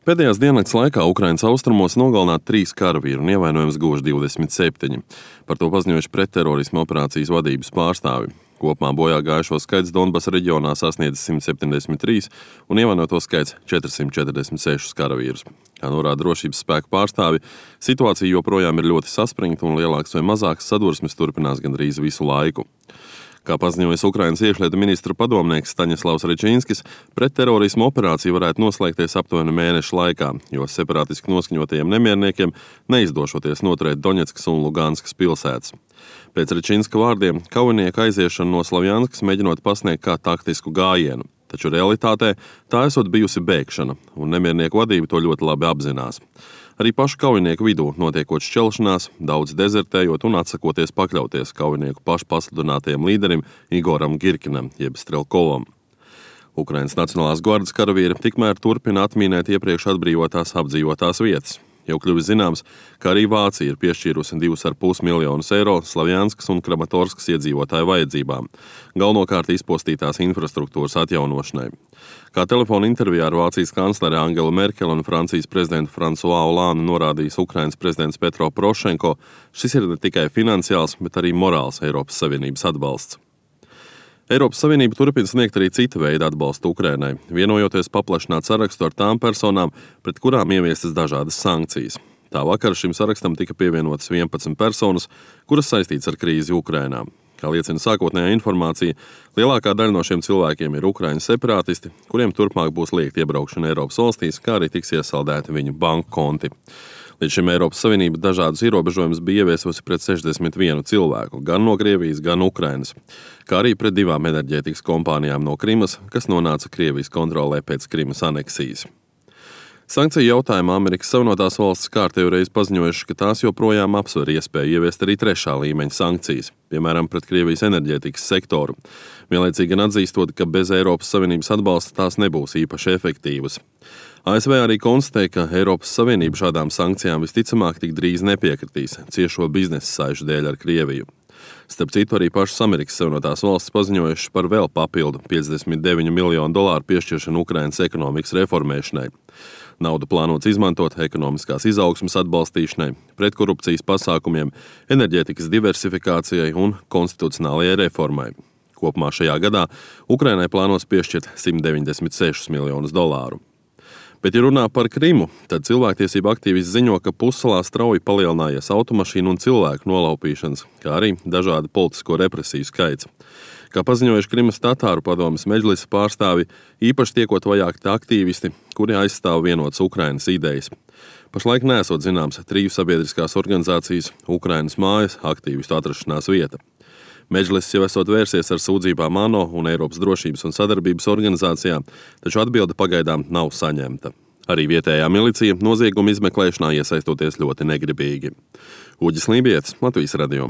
Pēdējās diennakts laikā Ukrainas austrumos nogalināti 3 karavīri un ievainojums guvuši 27. Par to paziņojuši pretterorisma operācijas vadības pārstāvi. Kopumā bojā gājušo skaits Donbasa reģionā sasniedz 173 un ievainoto skaits 446 karavīrus. Kā norāda drošības spēku pārstāvi, situācija joprojām ir ļoti saspringta un lielākas vai mazākas sadursmes turpinās gandrīz visu laiku. Kā paziņojas Ukrainas iekšlietu ministra padomnieks Staņislavs Rečinskis, pretterorisma operācija varētu noslēgties aptuveni mēneša laikā, jo separātiski noskaņotajiem nemierniekiem neizdošoties noturēt Doņetskas un Luganskas pilsētas. Pēc Rečinska vārdiem, kaujinieku aiziešana no Slavjanskas mēģinot pasniegt kā taktisku gājienu, taču realitātē tā esot bijusi bēgšana, un nemiernieku vadība to ļoti labi apzinās. Arī pašu kaujinieku vidū notiekot šķelšanās, daudz dezertējot un atsakoties pakļauties kaujinieku pašu pasludinātajam līderim Igoram Girkinam, jeb Strelkovam. Ukrainas Nacionālās gvardas karavīri tikmēr turpina atmīnēt iepriekš atbrīvotās apdzīvotās vietas. Jau kļuvis zināms, ka arī Vācija ir piešķīrusi 2,5 miljonus eiro Slavjanskas un Kramatorskas iedzīvotāju vajadzībām, galvenokārt izpostītās infrastruktūras atjaunošanai. Kā telefona intervijā ar Vācijas kanclere Angelu Merkeli un Francijas prezidentu François Hollande norādījis Ukrainas prezidents Petro Porošenko, šis ir ne tikai finansiāls, bet arī morāls Eiropas Savienības atbalsts. Eiropas Savienība turpina sniegt arī cita veida atbalstu Ukrainai, vienojoties paplašināt sarakstu ar tām personām, pret kurām ieviestas dažādas sankcijas. Tā vakar šim sarakstam tika pievienotas 11 personas, kuras saistītas ar krīzi Ukrainā. Kā liecina sākotnējā informācija, lielākā daļa no šiem cilvēkiem ir Ukrainas separātisti, kuriem turpmāk būs liegta iebraukšana Eiropas valstīs, kā arī tiks iesaldēti viņu banku konti. Līdz šim Eiropas Savienība dažādus ierobežojumus bija ieviesusi pret 61 cilvēku, gan no Krievijas, gan Ukrainas, kā arī pret 2 enerģētikas kompānijām no Krimas, kas nonāca Krievijas kontrolē pēc Krimas aneksijas. Sankciju jautājumā Amerikas Savienotās valstis kārtējo reizi paziņojuši, ka tās joprojām apsver iespēju ieviest arī 3. līmeņa sankcijas, piemēram, pret Krievijas enerģētikas sektoru. Vienlaicīgi gan atzīstot, ka bez Eiropas Savienības atbalsta tās nebūs īpaši efektīvas. ASV arī konstatēja, ka Eiropas Savienība šādām sankcijām visticamāk tik drīz nepiekritīs ciešo biznesa saišu dēļ ar Krieviju. Starp citu, arī pašas Amerikas Savienotās valstis paziņojušas par vēl papildu $59 miljonu piešķiršanu Ukrainas ekonomikas reformēšanai. Naudu plānots izmantot ekonomiskās izaugsmes atbalstīšanai, pretkorupcijas pasākumiem, enerģētikas diversifikācijai un konstitucionālajai reformai. Kopumā šajā gadā Ukrainai plānos piešķirt $196 miljonus. Bet, ja runā par Krimu, tad cilvēktiesība aktīvisti ziņo, ka pussalā strauji palielinājies automašīnu un cilvēku nolaupīšanas, kā arī dažādu politisko represiju skaits. Kā paziņojuši Krimas tatāru padomes meģlisa pārstāvi, īpaši tiekot vajāti aktīvisti, kuri aizstāv vienotas Ukrainas idejas. Pašlaik neesot zināms 3 sabiedriskās organizācijas Ukrainas mājas aktīvistu atrašanās vieta. Meģlis jau esot vērsies ar sūdzībām ANO un Eiropas drošības un sadarbības organizācijām, taču atbilde pagaidām nav saņemta. Arī vietējā milicija nozieguma izmeklēšanā iesaistoties ļoti negribīgi. Uģis Lībietis, Latvijas radio.